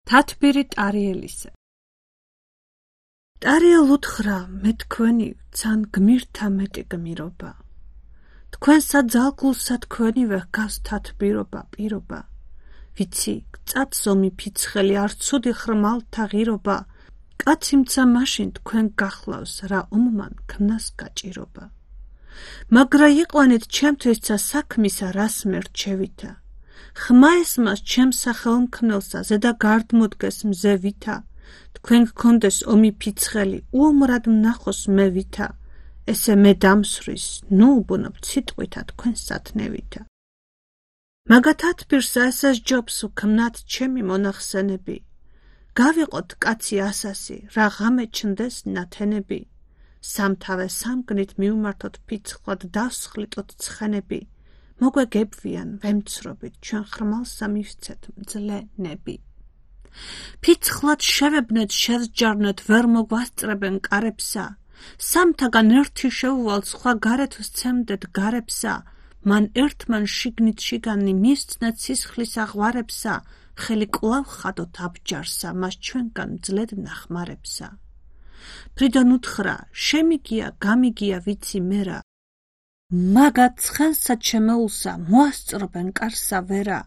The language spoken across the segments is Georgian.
თათბირი ტარიელისა. ტარიელ უთხრა, მე თქვენი ვცან გმირთა მეტი გმირობა. თქვენსა ძალგულსა თქვენივე ჰგავს თათბირობა, პირობა. ვიცი, გწად ზომი ფიცხელი, არ ცუდი ხრმალთა ღირობა. კაციმცა მაშინ თქვენ გახლავს, რა ომმან ქმნას გაჭირობა. მაგრა იყვანეთ ჩემთვისცა საქმისა, რას მერჩევითა. ხმა ესმას ჩემს სახელმქმნელსა, ზედა გარდმოდგეს მზე ვითა. თქვენ გქონდეს ომი ფიცხელი, უომრად ვნახოს მე ვითა. ესე მე დამსვრის, ნუ უბუნებთ სიტყვითა თქვენ სათნევითა. მაგა თათბირსა ესეს ჯობს ვქმნათ ჩემი მონახსენები. გავიყოთ კაცი ასასი, რა ღამე ჩნდეს ნათენები. სამთავე სამგნით მივმართოთ ფიცხლად, დავსხლიტოთ ცხენები. მოგვეგებვიან ვემცრობით, ჩვენ ხრმალსა მივცეთ მძლენები. ფიცხლად შევებნეთ, შევსჯარნეთ, ვერ მოგვასწრებენ კარებსა. სამთაგან ერთი შევუვალ, სხვა გარეთ ვსცემდეთ გარებსა. მან ერთმან შიგნით შიგანი მისცნეთ სისხლის აღვარებსა. ხელი კვლავ ხადოთ აბჯარსა, მას ჩვენგან მძლედ ნახმარებსა. ფრიდონ უთხრა, შემიგია, გამიგია ვიცი მერა. მაგა ცხენსა ჩემეულსა, მოასწრობენ კარსა ვერა.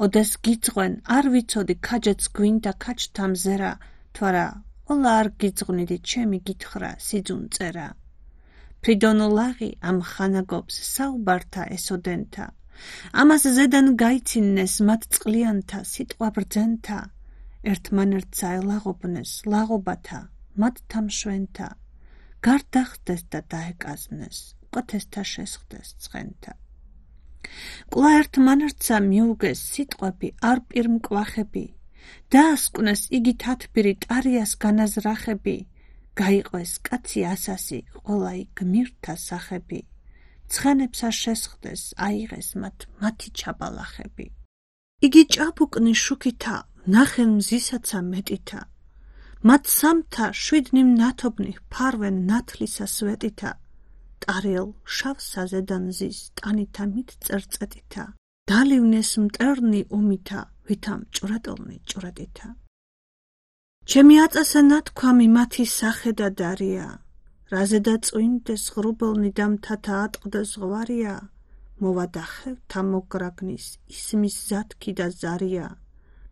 ოდეს გიძღვენ, არ ვიცოდი, ქაჯეც გვინდა ქაჯთა მზერა. თვარა, ოლა არ გიძღვნიდი, ჩემი გითხრა, სიძუნ წერა. ფრიდონ ლაღი ამ ხანაგობს, საუბართა ესოდენთა. ამას ზედან გაიცინეს მათ წყლიანთა, სიტყვა ბრძენთა. ერთმანერთსა ელაღობნეს, ლაღობათა, მათ თამშვენთა. გარდახდეს და დაეკაზნეს, უკეთესთა შესხდეს ცხენთა. კვლავ ერთმანერთსა მიუგეს სიტყვები, არ პირმკვახები. დაასკვნეს იგი თათბირი ტარიას განაზრახები. გაიყვეს კაცი ასასი, ყველაი გმირთა სახები. ცხენებსა შესხდეს, აიღეს მათი ჩაბალახები. იგი ჭაბუკნი შუქითა, ნახენ მზისაცა მეტითა. მათ სამთა შვიდნი ნათობნი ფარვენ ნათლისა სვეტითა. ტარიელ შავსა ზედან ზის, ტანითა მით წერწეტითა. დალივნეს მტერნი ომითა, ვითა მჭვრეტელნი ჭვრეტითა. ჩემი აწასა ნათქვამი მათი სახე და დარია. რაზედა წვინდეს ღრუბელნი და მთათა ატყდეს ზღვარია. მოვადახევთა მოგრაგნის, ისმის ზათქი და ზარია.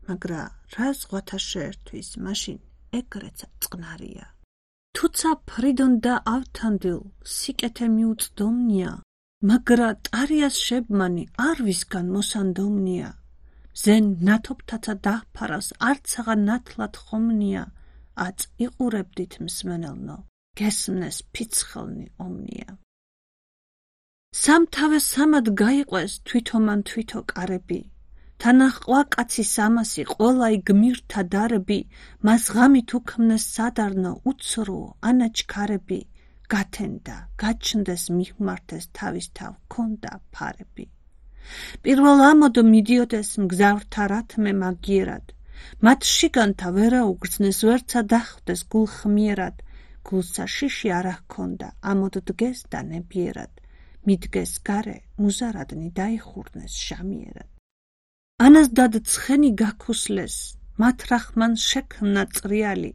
მაგრა რა ზღვათა შეერთვის, მაშინ ეგრეცა წყნარია. თუცა ფრიდონ და ავთანდილ, სიკეთე მიუწდომნია. მაგრა ტარიას შებმანი, არ ვისგან მოსანდომნია. ზენ ნათობთაცა დაჰფარავს, არცაღა ნათლად ხომნია. აწ იყურებდით მსმენელნო, გესმნეს ფიცხელნი ომნია. სამთავე სამად გაიყვეს თვითომან თვითო კარები. თანაჰყვა კაცი სამასი, ყველაი გმირთა დარები. მას ღამით უქმნეს სადარნო, უცრუ ანაჩქარები. გათენდა, გაჩნდეს მიხმართეს თავისთავ, ქონდა ფარები. პირველ ამოდო მიდიოდეს მგზავრთა რათმე მაგიერად. მათ შიგანთა ვერა უგრძნეს, ვერცა დახვდეს გულხმიერად. გულსა შიში არა ჰქონდა, ამოდდგეს და ნებიერად. მიდგეს გარე, მუზარადნი დაიხურნეს შამიერად. ანას დად ცხენი გაქუსლეს, მათ რახმან შექმნა წრიალი.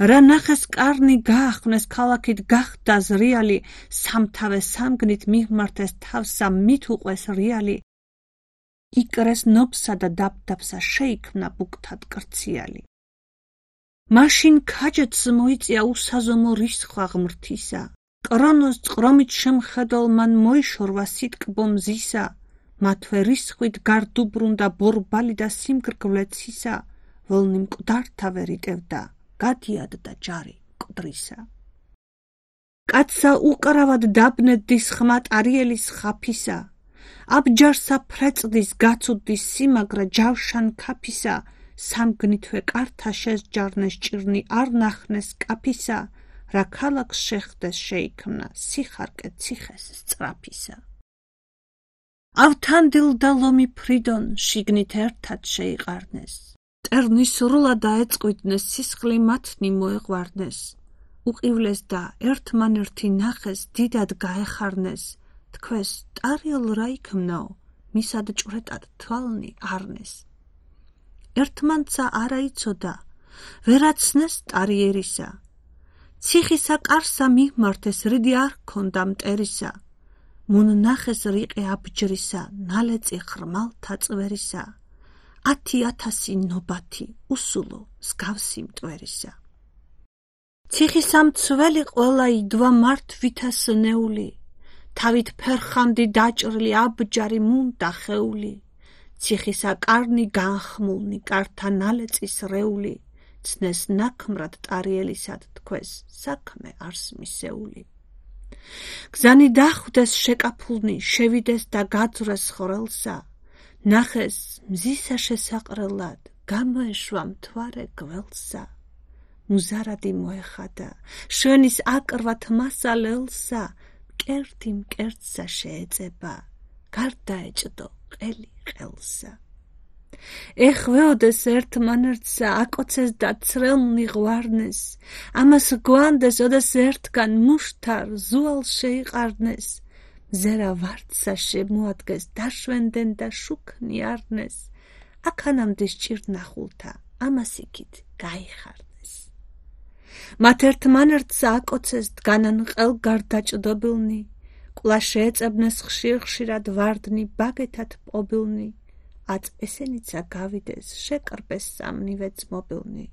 რა ნახეს კარნი გაახვნეს, ქალაქით გახდა ზრიალი. სამთავე სამგნით მივმართეს თავსა, მით უყვეს რიალი. იკრეს ნობსა და დაბდაბსა, შეიქმნა ბუქთად კრციალი. მაშინ ქაჯეთს მოიწია უსაზომო რისხვა ღმრთისა. კრონოს წყრომით შემხედელ მან მოიშორვა სიტკბო მზისა. მათვე რისხვით გარდუბრუნდა ბორბალი და სიმგრგვლეცისა. ველნი მკვდართა ვერ იტევდა, გადიადდა ჯარი მკვდრისა. კაცსა უკრავად დაბნედდის ხმა ტარიელის ხაფისა. აბჯარსა ფრეწდის, გაცუდის სიმაგრა ჯავშან ქაფისა. სამგნითვე კართა შესჯარნეს, ჭირნი არ ნახნეს კაფისა. რა ქალაქს შეხდეს შეიქმნა, სიხარკე ციხეს სწრაფისა. ავთანდილ და ლომი ფრიდონ შიგნით ერთად შეიყარნეს. მტერნი სრულად დაეწყვიტნეს, სისხლი მათნი მოეღვარნეს. უყივლეს და ერთმანერთი ნახეს, დიდად გაეხარნეს. თქვეს ტარიელ რა იქმნაო, მისად ჭვრეტად თვალნი არნეს. ერთმანცა არა იცოდა, ვერაცნეს ტარიერისა. ციხისა კარსა მიღმართეს რიდი არ ჰქონდა მტერისა, მონნახეს რიყე აბჯრისა, ნალეწი ხრმალთა წვერისა, 10,000 ნობათი უსულო მსგავსი მტვერისა. ციხისა მცველი ყველა იდვა მართ ვითასნეული, თავით ფერხანდი დაჭრილი აბჯარი მუნდა ხეული, ციხისა კარნი განხმულნი კართა ნალეწის რეული, ცნეს ნაქმრად ტარიელისად თქვეს საქმე არს მისეული. გზანი დახვდეს შეკაფულნი, შევიდეს და გაძვრეს ხვრელსა, ნახეს მზისა შესაყრელად, გამოეშვა მთვარე გველსა. მუზარადი მოეხადა, შვენის აკრვათ მასალელსა, მკერდი მკერდსა შეეწება, გარდაეჭდო ყელი ყელსა. ეხვეოდეს ერთმანერთსა, აკოცეს და ცრელნი ღვარნეს, ამას გვანდეს, ოდეს ერთგან მუშთარ ზუალ შეიყარნეს, მზერა ვარდსა შემოადგეს, დაშვენდენ და შუქნი არნეს, აქანამდე სჭირნახულთა, ამას იქით გაიხარნეს. მათ ერთმანერთსა აკოცეს დგანან ყელგარდაჭდობილნი, ყლა შეეწებნეს ხშირ-ხშირად ვარდნი ბაგეთად პობილნი, აწ ესენიცა გავიდეს, შეკრბეს სამნივე ძმობილნი,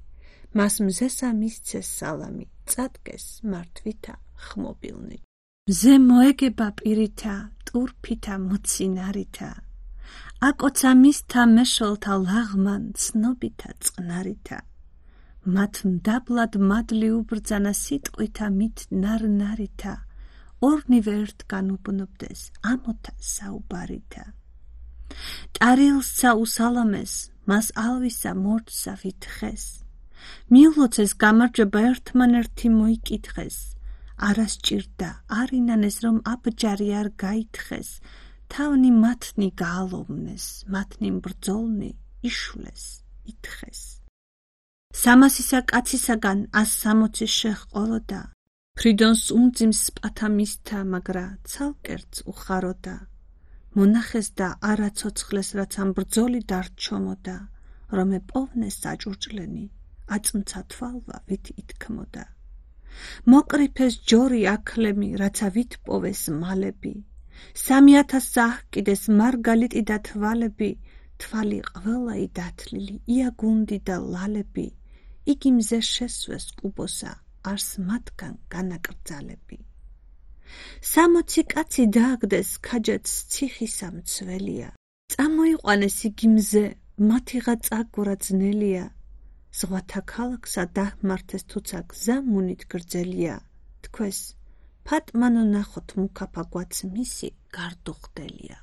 მას მზესა მისცეს სალამი, წადგეს მართვითა ხმობილნი. მზე მოეგება პირითა, ტურფითა მოცინარითა, აკოცა მისთა მეშველთა ლაღმან ცნობითა წყნარითა, მათ მდაბლად მადლი უბრძანა სიტყვითა მით ნარნარითა, ორნივე ერთგან უბნობდეს ამოთა საუბარითა. ტარიელსა უსალამეს, მას ალვისა მორდსა ვითხეს, მიულოცეს გამარჯვება ერთმანერთი მოიკითხეს, არა სჭირდა არინანეს რომ აბჯარი არ გაითხეს, თავნი მათნი გაალოვნეს, მათნი მბრძოლნი იშვლეს, ითხეს. 300-ისა კაცისაგან 160 შეჰყოლოდა, ფრიდონს უმძიმს პათა მისთა, მაგრა ცალკერც უხაროდა. მონახეს და არა ცოცხლეს, რაც ამ ბრძოლი დარჩომოდა, რომ ეპოვნეს საჭურჭლენი, აწმცა თვალვა ვით ითქმოდა. მოკრიფეს ჯორი აქლემი, რაცა ვით პოვეს მალები, 3,000 აჰკიდეს მარგალიტი და თვალები, თვალი ყველაი დათლილი, იაგუნდი და ლალები, იგი მზე შესვეს კუბოსა, არს მათგან განაკრძალები. 60 კაცი დააგდეს ქაჯეთს ციხისა მცველია, წამოიყვანეს იგი მზე, მათიღა წაგვრა ძნელია, ზღვათა ქალაქსა დაჰმართეს თუცა გზა მუნით გრძელია, თქვეს ფატმანო ნახოთ მუქაფა გვაც მისი გარდუხდელია.